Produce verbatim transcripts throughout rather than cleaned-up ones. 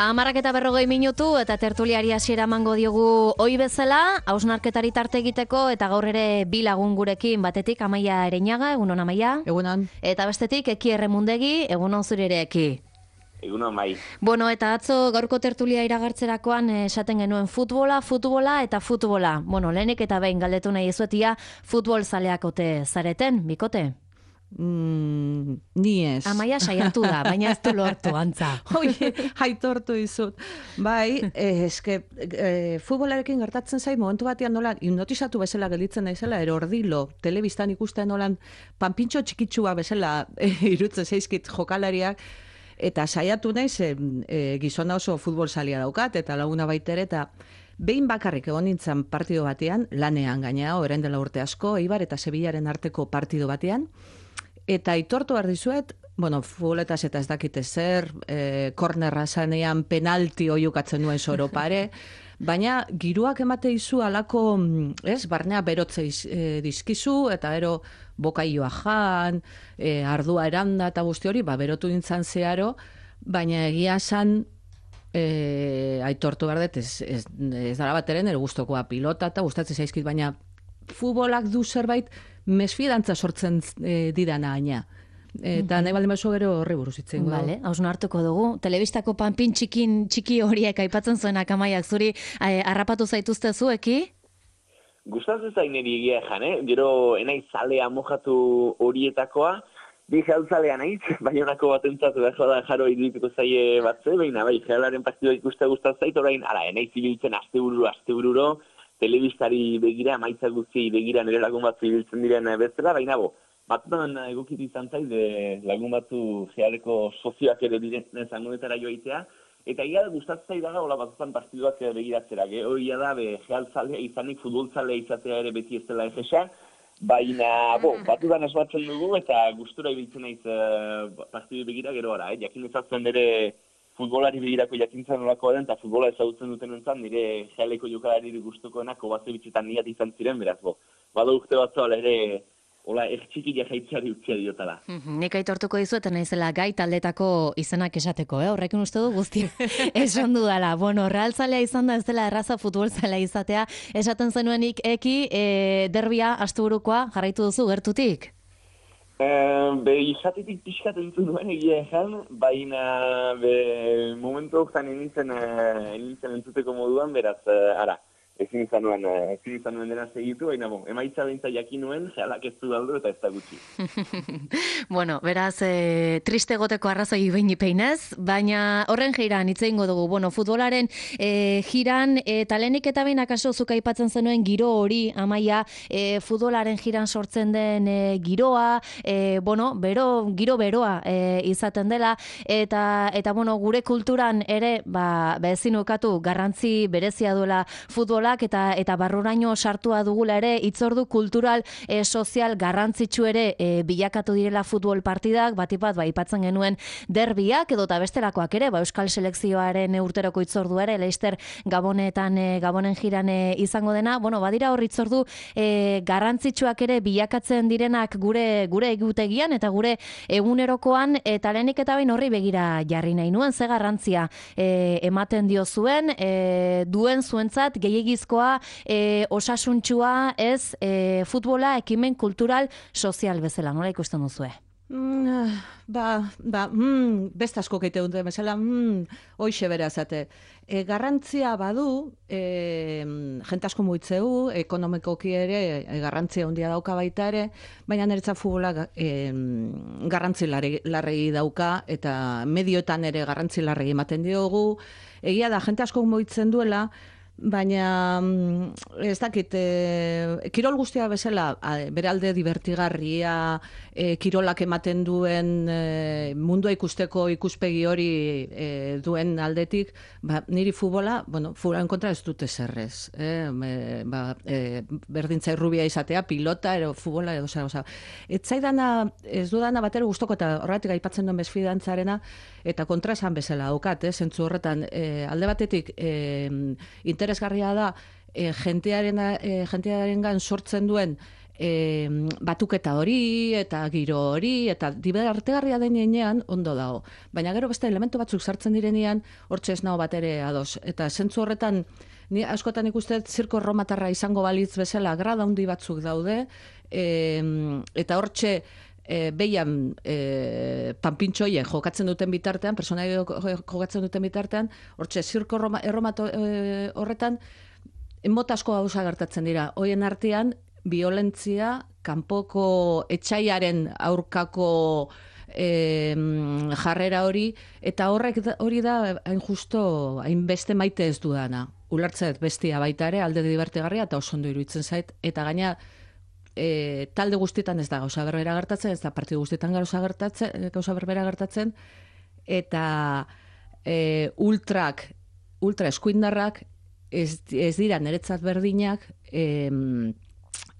Hamarrak eta berrogei minutu eta tertuliari hasiera emango diogu ohi bezala, hausnarketari tarte egiteko eta gaur ere bi lagun gurekin, batetik Amaia Ereñaga, egunon Amaia. Egunon. Eta bestetik Eki Erremundegi, egunon zure ere Eki. Egunon bai. Bueno, eta atzo gaurko tertulia iragartzerakoan esaten genuen futbola, futbola eta futbola. Bueno, lehenik eta behin galdetu nahi ezuetia, futbol zaleak ote zareten, bikote? Mm, ni ez. Amaia saiatu da, baina ez du lortu, antza. Oie, aitortu izut. Bai, eh, eske, eh, futbolarekin gertatzen zait, momentu batean nolan, hipnotizatu bezala gelditzen naizela, erordilo, telebistan ikusten nolan, panpintxo txikitsua bezala eh, irutzen zaizkit jokalariak, eta saiatu naiz, eh, eh, gizona oso futbol zalia daukat, eta laguna baitere, eta behin bakarrik egon nintzen partido batean, lanean gaina, orain dela urte asko, Eibar eta Sevillaren arteko partido batean, eta aitortu behar dizuet, bueno, futboletaz eta ez dakite zer, eh, kornerra zanean penalti oiukatzen nuen soro pare, baina giruak emate izu alako, ez, barnea berotze iz, eh, dizkizu, eta ero bokaioa jan, eh, ardua eranda eta guzti hori, ba, berotu nintzen zeharo, baina egia san, eh, aitortu behar dut, ez, ez, ez dara bateren, ere guztokoa pilota eta gustatzen zaizkit, baina futbolak du zerbait mesfidantza sortzen e, didana aina. Eta nahi baldin baso gero horri buruz itzen. Vale, hausna hartuko dugu. Telebistako panpin txikin txiki horiek aipatzen zuenak Amaiak zuri eh, harrapatu zaituzte zueki? Gustatzen zain eri egia jan, eh? Gero enaiz zalea mojatu horietakoa, bi gehaltzalea naiz, baina honako batentzat behar da jaro irudituko zaie batze, baina bai, gehalaren partidua ikuste gustatzen zait, orain, ara, enaiz ibiltzen astebururo, astebururo, telebistari begira, maitza guztiei begira nire lagun batzu ibiltzen diren bezala, baina bo, batutan egokitu izan zain, lagun batzu gehaleko sozioak ere diren zangonetara joaitea, eta ia da gustatzen zaidaga, hola batutan partiduak begiratzera, hori da, be, gehaltzalea izanik, futboltzalea izatea ere beti ez dela efesa, baina, bo, batutan esbatzen dugu, eta gustura ibiltzen naiz partidu begira gero ara, eh? Jakin ezatzen ere, futbolari begirako jakintzen nolakoa den, eta futbola ezagutzen duten entzan, nire gehaleko jokalari gustukoenak obatze bitxetan niat izan ziren, beraz, bo. Bado urte batzu ala ere, hola, ertxikia jaitzeari utzia diotala. Nik aitortuko dizueten naizela gai taldetako izenak esateko, eh? Horrekin uste du guzti esan dudala. Bueno, realzalea izan da ez dela erraza futbolzalea izatea, esaten zenuenik Eki, e, derbia asteburukoa jarraitu duzu gertutik? Be, izatetik pixkat entzun duen egia ezan, baina be, momentu oktan enintzen, enintzen entzuteko moduan, beraz, ara, ezin izan nuen, ezin izan nuen dena segitu, baina bon, emaitza bentsa jakin nuen, gehalak ez du daldu eta ez da gutxi. Bueno, beraz, e, triste goteko arrazoi behin ipeinez, baina horren jiran hitz egingo dugu, bueno, futbolaren e, jiran, eta lehenik eta behin akaso zuk aipatzen zenuen giro hori, Amaia, e, futbolaren jiran sortzen den e, giroa, e, bueno, bero, giro beroa e, izaten dela, eta, eta bueno, gure kulturan ere, ba, ba ezin ukatu garrantzi berezia duela futbola, eta eta barruraino sartua dugula ere hitzordu kultural e, sozial garrantzitsu ere e, bilakatu direla futbol partidak, batipat ba aipatzen genuen derbiak edo ta bestelakoak ere, ba Euskal selekzioaren urteroko hitzordu ere Leicester Gabonetan e, Gabonen jiran e, izango dena. Bueno, badira hor hitzordu e, garrantzitsuak ere bilakatzen direnak gure gure egutegian eta gure egunerokoan, eta lehenik eta behin horri begira jarri nahi nuen ze garrantzia e, ematen dio zuen e, duen zuentzat gehiegi E, osasuntxua ez e, futbola ekimen kultural sozial bezala, nola ikusten duzue? Mm, ba, ba, mm, best asko keite dute bezala, mm, hoixe bera zate. E, garrantzia badu, e, jente asko muitzeu, ekonomikoki ere, e, garrantzia handia dauka baita ere, baina niretzat futbola e, garrantzi larregi dauka, eta medioetan ere garrantzi larregi ematen diogu. Egia da, jente asko muitzen duela, baina ez dakit, e, kirol guztia bezala, bere alde divertigarria, e, kirolak ematen duen e, mundua ikusteko ikuspegi hori e, duen aldetik, ba, niri futbola, bueno, futbolaren kontra ez dute zerrez. Eh? E, ba, e, berdintzai rubia izatea, pilota, ero futbola, edo zer, oza. Ez zaidana, ez dudana batero guztoko, eta horretik aipatzen duen bezfidantzarena, eta kontra esan bezala daukat, eh? Zentzu horretan, e, alde batetik, e, interesgarria da, e, jentearen, e, jentearengan sortzen duen e, batuketa hori, eta giro hori, eta diberartegarria denean ondo dago. Baina gero beste elementu batzuk sartzen direnean, hortxe ez nago bat ere ados. Eta zentzu horretan, ni askotan ikusten zirko erromatarra izango balitz bezala, grada handi batzuk daude, e, eta hortxe, E, behian e, panpintxoien jokatzen duten bitartean, personai jokatzen duten bitartean, hortxe, zirko erromato e, horretan, mota asko gauza gertatzen dira. Hoien artean, violentzia, kanpoko etxaiaren aurkako e, jarrera hori, eta horrek hori da, hain justo, hainbeste maite ez dudana. Ulertzet bestia baita ere, alde divertigarria, eta oso ondo iruditzen zait, eta gaina, E, talde guztietan ez da gauza berbera gertatzen, ez da partidu guztietan gauza gertatzen, gauza berbera gertatzen, eta e, ultrak, ultra eskuindarrak ez, ez dira niretzat berdinak, e,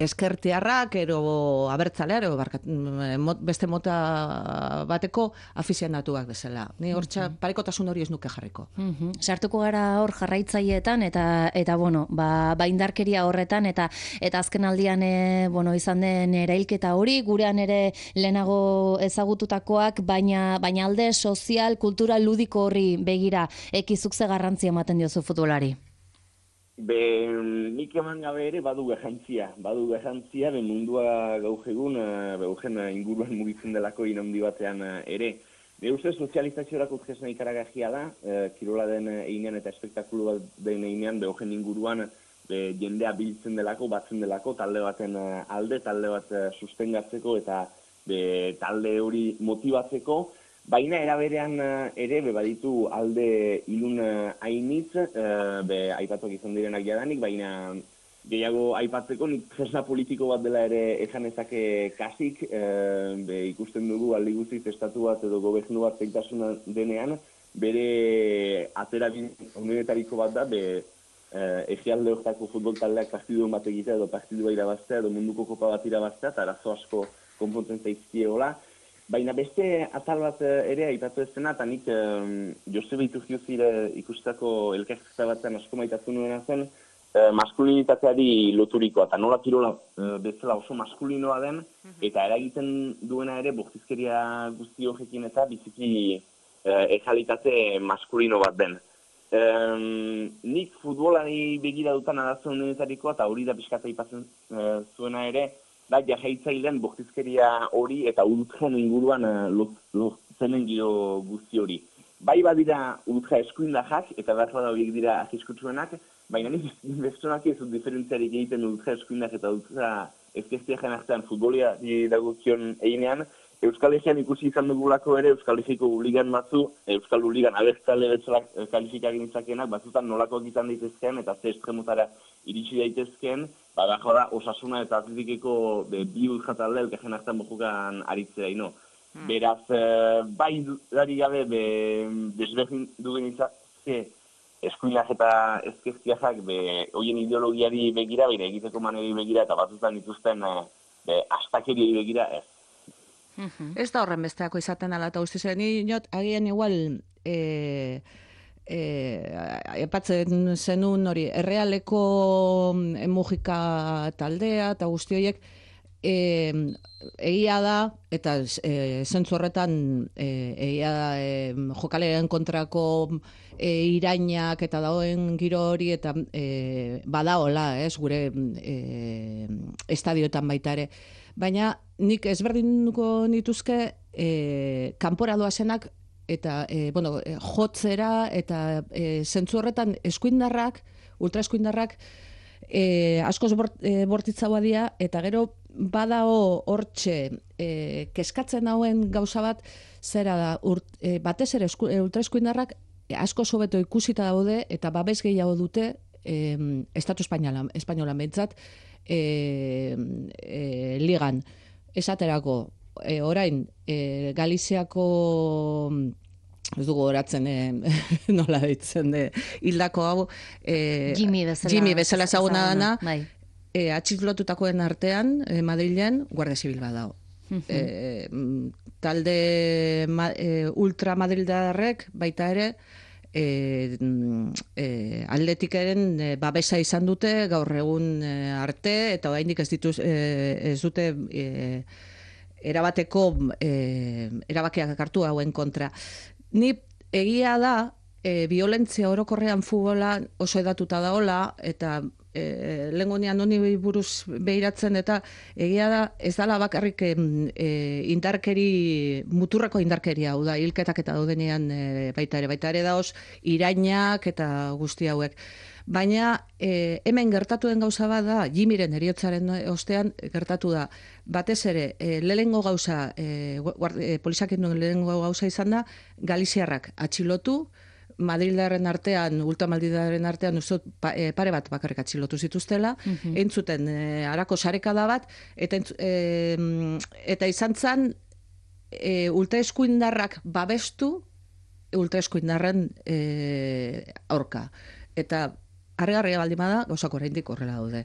eskertiarrak, ero abertzaleak, ero barkat, beste mota bateko afizionatuak bezala. Ni hortxa parekotasun hori ez nuke jarriko. Mm-hmm. Sartuko gara hor jarraitzaileetan eta eta bueno, ba, ba indarkeria horretan eta eta azken aldian e, bueno, izan den erailketa hori gurean ere lehenago ezagututakoak, baina baina alde sozial, kultural, ludiko horri begira ekizuk ze garrantzia ematen diozu futbolari. Be, nik eman gabe ere badu garrantzia, badu garrantzia, be mundua gaur egun, be urgen inguruan mugitzen delako inaundi batean ere. Be uste sozializaziorako tresna ikaragarria da, e, kirola den einean eta espektakulu bat den einean, be urgen inguruan be, jendea biltzen delako, batzen delako, talde baten alde, talde bat sustengatzeko eta be, talde hori motibatzeko. Baina eraberean ere, be baditu alde ilun hainitz, be aipatuak izan direnak jadanik, baina gehiago aipatzeko nik tresna politiko bat dela ere esan ezake kasik, be ikusten dugu aldi guztiz estatu bat edo gobernu bat zeitasuna denean, bere aterabin honetariko bat da, be egialde horretako futbol taldeak partiduen bat egitea edo partidua irabaztea edo munduko kopa bat irabaztea, eta arazo asko konpontzen zaizkiegola. Baina beste atal bat ere aipatu ez dena, eta nik um, Josebe Iturgiozire ikustako elkarrizketa batean asko maitatzen nuena zen, uh, maskulinitateari loturikoa, eta nola kirola uh, bezala oso maskulinoa den, eta eragiten duena ere bortizkeria guzti horrekin eta biziki uh, ejalitate maskulino bat den. Um, nik futbolari begira dutan arazo honetarikoa, eta hori da pixkata aipatzen uh, zuena ere, da jarraitzailean bortizkeria hori eta ultran inguruan lotzenen giro guzti hori. Bai badira ultra eskuindarrak eta behar bada horiek dira arriskutsuenak, baina nik bestonak ez dut diferentziarik egiten ultra eskuindak eta ultra ezkertiaren artean futbolia dagokion einean. Euskal Herrian ikusi izan dugulako ere Euskal Herriko ligan batzu, Euskal Ligan abertzale betzalak kalifikagin izakenak, batzutan nolakoak izan daitezkeen eta ze estremotara iritsi daitezkeen, ba, behar da, Osasuna eta Atletikeko bi ultratalde elkarren hartan bojukan aritzera ino. Hmm. Beraz, bai dari gabe, be, desberdin dugen izazke, eskuinak eta ezkezkiak be, hoien ideologiari begira, bire egiteko maneri begira, eta batzutan dituzten be, astakeriei begira, ez. Mm-hmm. Ez da horren besteako izaten ala, eta guztiz, ni not, agian igual, e, e, epatzen zenun hori, errealeko emugika taldea, eta guzti horiek, e, egia da, eta e, zentzu horretan, e, egia da, e, jokaleren kontrako e, irainak eta dagoen giro hori, eta e, badaola, ez, gure e, estadioetan baita ere. Baina nik ezberdinduko nituzke e, kanpora doazenak eta e, bueno, e, jotzera eta e, zentzu horretan eskuindarrak, ultraeskuindarrak e, askoz bort, e, bortitzagoa dira eta gero badao hortxe e, keskatzen hauen gauza bat zera da urt, e, batez ere esku, e, ultraeskuindarrak e, asko sobeto ikusita daude eta babes gehiago dute e, Estatu Espainola, Espainola behintzat, E, e, ligan esaterako e, orain e, Galiziako ez dugu oratzen e, nola ditzen de hildako hau e, Jimmy bezala, Jimmy bezala ezaguna dana bai. e, atxiklotutakoen artean e, Madrilen Guardia Zibil bat dago. E, talde ma, e, ultra madrildarrek baita ere e, e, atletikeren e, babesa izan dute gaur egun e, arte, eta oraindik ez dituz e, ez dute e, erabateko e, erabakiak hartu hauen kontra. Ni egia da, e, violentzia orokorrean futbola oso edatuta daola, eta e, lengonean honi buruz behiratzen, eta egia da, ez dala bakarrik e, indarkeri, muturreko indarkeria, hau da, hilketak eta daudenean e, baita ere, baita ere daoz, irainak eta guzti hauek. Baina e, hemen gertatu den gauza bat da, Jimiren heriotzaren ostean gertatu da, batez ere, e, lehengo gauza, e, e, polisakin duen lehengo gauza izan da, Galiziarrak atxilotu, Madrildarren artean, ultramaldidaren artean, uzot, pa, e, pare bat bakarrik atxilotu zituztela, mm-hmm. entzuten e, harako sarekada bat, eta, e, eta izan zen, e, ultraeskuindarrak babestu, ultraeskuindarren e, aurka. Eta harri-harria baldin bada, gauzak oraindik horrela daude.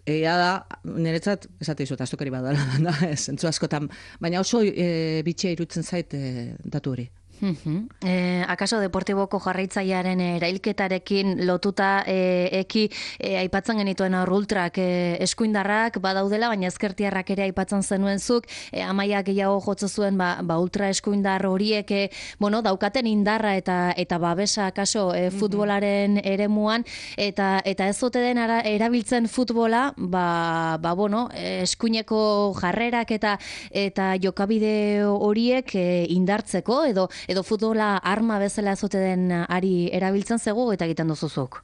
Egia da, niretzat, esate izut, aztukari badala, da, zentzu askotan, baina oso e, bitxia irutzen zait e, datu hori. Uh-huh. Eh, akaso Deportiboko jarraitzailearen erailketarekin lotuta eh, eki eh, aipatzen genituen aur ultrak eh, eskuindarrak badaudela, baina ezkertiarrak ere aipatzen zenuen zuk, eh, Amaia gehiago jotze zuen ba, ba ultra eskuindar horiek eh, bueno, daukaten indarra eta eta babesa akaso eh, futbolaren eremuan, eta eta ez ote den ara, erabiltzen futbola ba, ba bueno, eh, eskuineko jarrerak eta eta jokabide horiek eh, indartzeko edo edo futbola arma bezala ezote den ari erabiltzen zego eta egiten duzuzuk?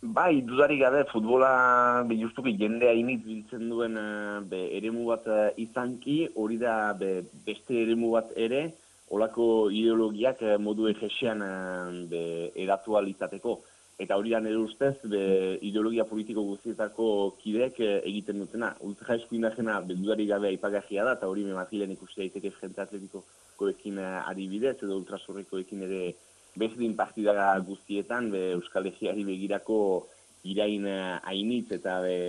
Bai, dudarik gabe, futbola be, justuki jende hainitz biltzen duen be, eremu bat izanki, hori da be, beste eremu bat ere, olako ideologiak modu egesean be, eratu alizateko. Eta hori da nire ustez, be, ideologia politiko guztietako kideek egiten dutena. Ultra eskuindajena dudarik gabe aipagajia da, eta hori memazilen ikusi daiteke jente atletikoekin adibidez, edo ultrasurrekoekin ere bezdin partida guztietan, be, Euskal Herriari begirako irain hainitz eta be,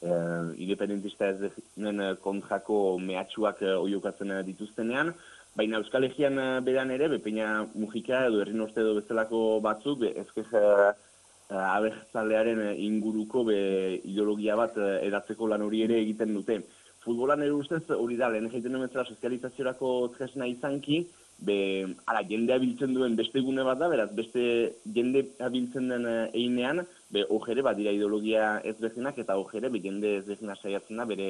e, independentista ez denen kontrako mehatxuak oiokatzen dituztenean, baina Euskal Herrian beran ere, Bepeña Mujika edo Herri Norte edo bezalako batzuk, be, ezkez uh, abertzalearen inguruko be, ideologia bat edatzeko lan hori ere egiten dute. Futbolan ere ustez hori da, lehen egiten duen sozializaziorako tresna izanki, be, ara, jendea biltzen duen beste gune bat da, beraz, beste jende biltzen den einean, be, ojere, bat dira ideologia ez bezinak, eta ojere, be, jende ez bezina saiatzen da, bere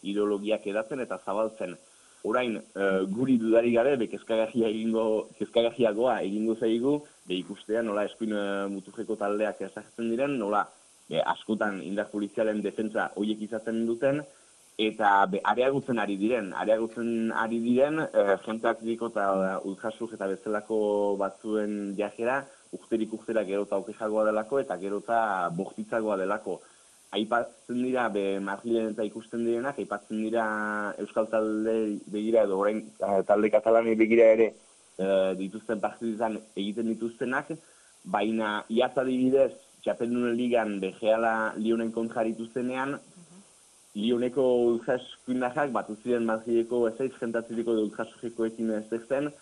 ideologiak edatzen eta zabaltzen. Orain, uh, guri dudari gabe, be, kezkagajia egingo, kezkagajiagoa egingo zaigu, be, ikustea nola eskuin uh, mutujeko taldeak ezagetzen diren, nola be, askotan indar polizialen defentsa horiek izaten duten, eta be, areagutzen ari diren, areagutzen ari diren, uh, jenteak diko eta uh, ultrasuk eta bezalako batzuen jajera, urterik urtera gero eta okejagoa delako, eta gero eta bortitzagoa delako. Aipatzen dira, be, Madrilen eta ikusten direnak, aipatzen dira Euskal talde begira edo orain talde Katalanei begira ere e, dituzten partidizan egiten dituztenak, baina iaz adibidez, Txapeldunen ligan begeala Lionen kontra dituztenean, Lioneko ultraskuindajak batu ziren Madrileko ezaiz jentatzeriko edo ultrasujekoekin ezertzen,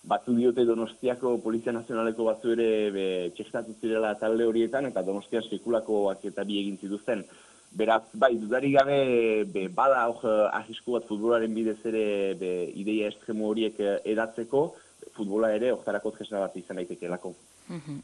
batu diote Donostiako Polizia Nazionaleko batzu ere be, txestatu zirela talde horietan, eta Donostia sekulakoak eta bi egin zituzten. Beraz, bai, dudarik gabe, be, bada hor ahisku bat futbolaren bidez ere be, ideia estremo horiek edatzeko, futbola ere hortarako tresna bat izan daitekelako.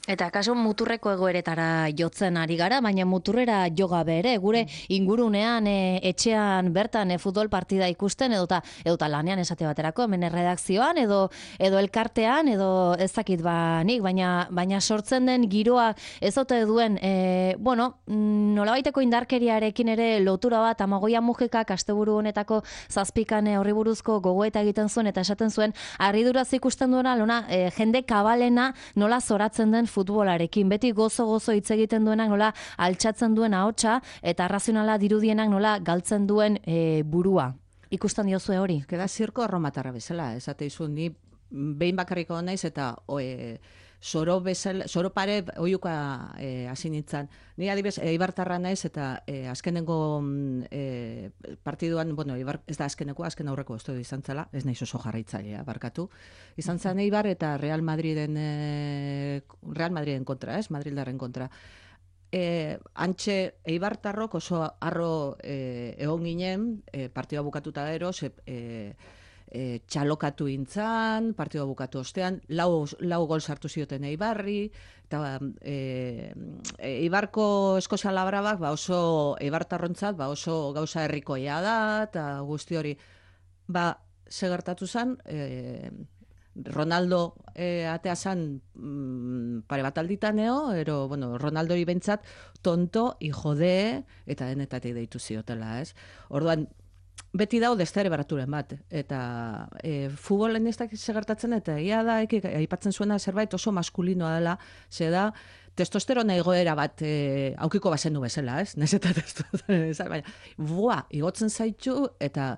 Eta akaso muturreko egoeretara jotzen ari gara, baina muturrera jo gabe ere, gure ingurunean, e, etxean bertan e, futbol partida ikusten, edota, edota lanean esate baterako, hemen erredakzioan, edo, edo elkartean, edo ezakit ba nik, baina, baina sortzen den giroa ez ote duen, e, bueno, nolabaiteko indarkeriarekin ere lotura bat, Amagoia Mujikak asteburu honetako zazpikan horri buruzko gogoeta egiten zuen, eta esaten zuen, harriduraz ikusten duena, lona, e, jende kabalena nola zoratzen den futbolarekin, beti gozo-gozo hitz egiten duenak nola altxatzen duen ahotsa eta arrazionala dirudienak nola galtzen duen e, burua. Ikusten diozue hori? Keda zirko arromatarra bezala, esate izu, ni behin bakarriko naiz eta oe, zoro bezala, zoro pare oiuka e, hasi nintzen. Ni adibez, Eibartarra naiz eta e, azkenengo e, partiduan, bueno, Eibar, ez da azkeneko, azken aurreko ez izan zela, ez naiz oso jarraitzailea, barkatu. Izan zen Eibar eta Real Madriden e, Real Madriden kontra, ez? Madrildarren kontra. E, antxe Eibartarrok oso arro e, egon ginen, e, partidua bukatuta gero, ze, e, e, txalokatu intzan, partidua bukatu ostean, lau, lau gol sartu zioten Eibarri, eta e, Eibarko Eskozia Labrabak ba oso Eibartarrontzat ba oso gauza herrikoia da, eta guzti hori, ba, ze gertatu zen, e, Ronaldo eh, atea zan mm, pare bat alditaneo, ero, bueno, Ronaldo hori bentsat tonto, hijo de, eta denetatik deitu ziotela, ez? Orduan, beti dau destere baraturen bat, eta e, futbolen ez dakit segertatzen, eta ia da, eki, aipatzen zuena zerbait oso maskulinoa dela, ze da, testosterona egoera bat e, aukiko bazen du bezala, ez? Nez eta testosterona, baina, bua, igotzen zaitu, eta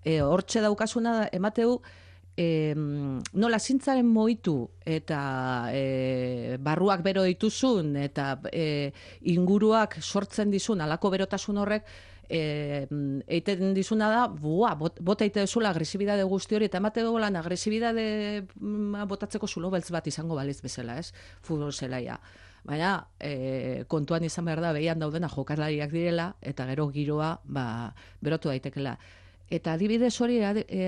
e, hortxe daukasuna da, emateu, E, nola zintzaren moitu eta e, barruak bero dituzun eta e, inguruak sortzen dizun alako berotasun horrek e, eiten dizuna da, bua, bot, bota eite duzula agresibidade guzti hori eta emate golan agresibidade botatzeko zulo beltz bat izango baliz bezala, ez? Futbol zelaia. Baina e, kontuan izan behar da behian daudena jokalariak direla eta gero giroa ba, berotu daitekela. Eta adibidez hori e,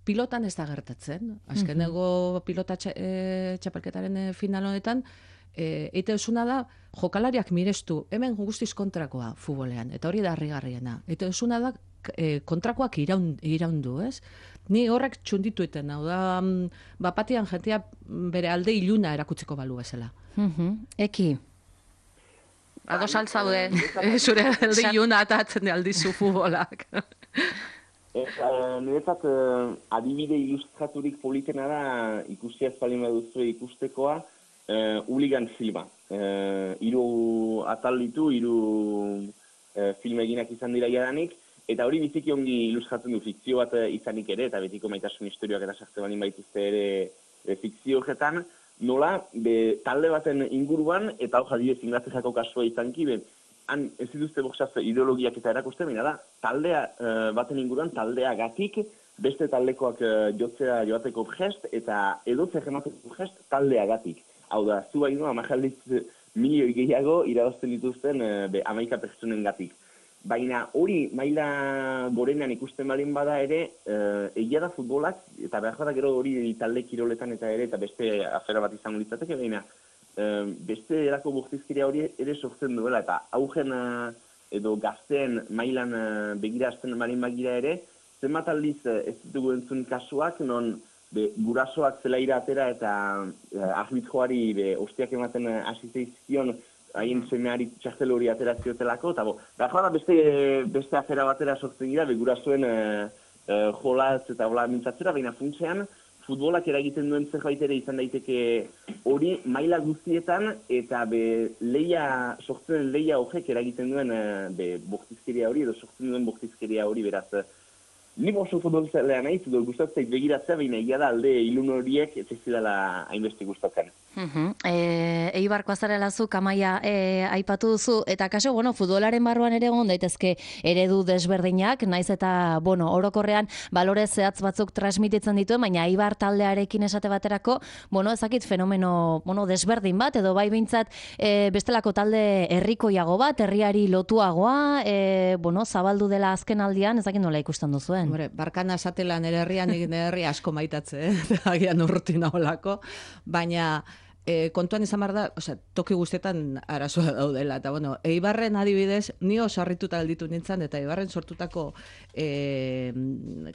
pilotan ez da gertatzen. Azkeneko pilota txa, e, txapelketaren e, final honetan, e, eite duzuna da, jokalariak mirestu, hemen guztiz kontrakoa futbolean, eta hori da harrigarriena. Eite duzuna da, e, kontrakoak iraun, iraundu, ez? Ni horrek txunditu iten, hau da, bapatian jentia bere alde iluna erakutziko balu bezala. Eki? Ados altzaude, zure alde iluna atatzen aldizu futbolak. Eta, niretzat, uh, adibide ilustraturik politena da, ikusi ez balin baduzu ikustekoa, uh, Hooligan filma. Uh, iru atal ditu, iru uh, film eginak izan dira jadanik, eta hori biziki ongi ilustratzen du fikzio bat izanik ere, eta betiko maitasun historioak eta sartzen balin baituzte ere e, fikzio horretan, nola, be, talde baten inguruan, eta hor jadibez Inglaterrako kasua izanki, be, han ez dituzte boxaz ideologiak eta erakusten, baina da, taldea uh, baten inguruan taldeagatik, beste taldekoak uh, jotzea joateko gest, eta edotze gemateko gest taldeagatik. Hau da, zu baino, amajaldiz milioi gehiago irabazten dituzten uh, be, amaika pertsonen gatik. Baina hori maila gorenean ikusten balin bada ere, uh, egia da futbolak, eta behar da gero hori talde kiroletan eta ere, eta beste afera bat izango litzateke, baina beste erako bortizkeria hori ere sortzen duela, eta augen edo gazteen mailan begirazten marin bagira ere, zenbat aldiz ez ditugu entzun kasuak, non be, gurasoak zelaira atera eta arbitroari be, ostiak ematen hasi zeizkion haien semeari txartel hori ateraziotelako, eta bo, da beste, beste afera batera sortzen gira, be, gurasoen uh, uh, jolaz eta hola mintzatzera, baina funtsean, futbolak eragiten duen zerbait ere izan daiteke hori maila guztietan eta be leia, sortzen leia horrek eragiten duen be bortizkeria hori edo sortzen duen bortizkeria hori beraz. Ni oso futbolzalea naiz, edo gustatzen begiratzea, baina egia da alde ilun horiek ez zidala hainbeste gustatzen. Uh-huh. E, Eibarko azarela zu, Kamaia e, aipatu duzu, eta kaso, bueno, futbolaren barruan ere egon daitezke eredu desberdinak, naiz eta, bueno, orokorrean balore zehatz batzuk transmititzen dituen, baina Eibar taldearekin esate baterako, bueno, ezakit fenomeno, bueno, desberdin bat, edo bai behintzat e, bestelako talde herrikoiago bat, herriari lotuagoa, e, bueno, zabaldu dela azken aldian, ezakit nola ikusten duzuen. Hombre, barkana esatela nire herrian, nire herri asko maitatze, eh? Agian urrutina holako, baina E, kontuan izan behar da, osea, toki guztietan arazoa daudela, eta bueno, Eibarren adibidez, ni oso harrituta alditu nintzen, eta Eibarren sortutako e,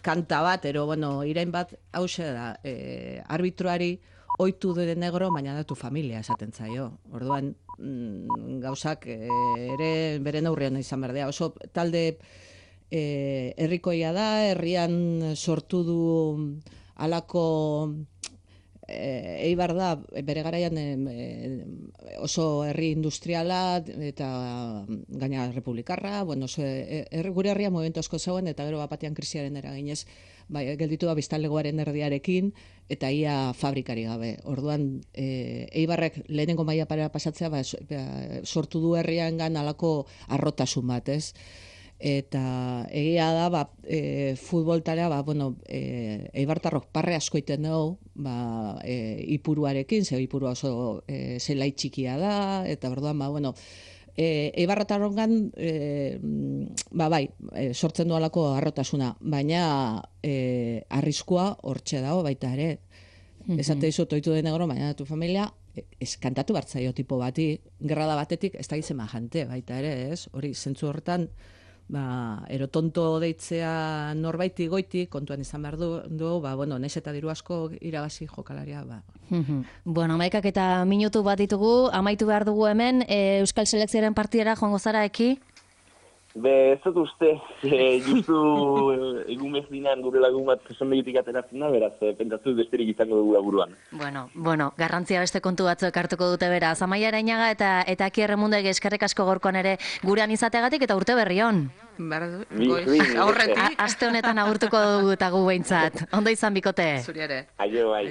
kanta bat, ero, bueno, irain bat, hause da, e, arbitroari oitu dure negro, baina da tu familia esaten zaio. Orduan, mm, gauzak e, ere beren aurrean izan behar da, oso talde e, herrikoia da, herrian sortu du alako e, Eibar da, bere garaian e, oso herri industriala eta gaina republikarra, bueno, oso, e, er, gure herria momentu asko zegoen, eta gero bapatean krisiaren eraginez, bai, gelditu da biztanlegoaren erdiarekin, eta ia fabrikari gabe. Orduan, e, Eibarrek lehenengo maila para pasatzea, ba, sortu du herriangan halako arrotasun bat, ez? Eta egia da, ba, e, futbol tarea, ba, bueno, e, Eibartarrok parre asko iten dugu, ba, e, ipuruarekin, ze ipurua oso e, zelai txikia da, eta orduan, ba, bueno, e, Eibartarrongan, e, ba, bai, e, sortzen du alako arrotasuna, baina e, arriskua hortxe dago baita ere. Mm-hmm. Esate dizut, oitu den negro, baina tu familia, eskantatu bartzaio tipo bati, gerrada batetik, ez da gizema jante baita ere, ez? Hori, zentzu hortan, ba, erotonto deitzea norbaiti goiti, kontuan izan behar du, du ba, bueno, naiz eta diru asko irabazi jokalaria, ba. Bueno, amaikak eta minutu bat ditugu, amaitu behar dugu hemen, e, Euskal Selekzioaren partidara joango zara eki? Be, ez dut uste, e, justu egun bezdinan gure lagun bat presondegitik ateratzen da, beraz, pentsatu besterik izango dugu buruan. Bueno, bueno, garrantzia beste kontu batzuk hartuko dute beraz. Amaia Arainaga eta eta Aki Erremundegi eskerrik asko gorkoan ere gurean izateagatik eta urte berri on. Goiz, aurretik. Aste honetan agurtuko dugu eta gu behintzat. Ondo izan bikote. Zuri ere. Aio, bai.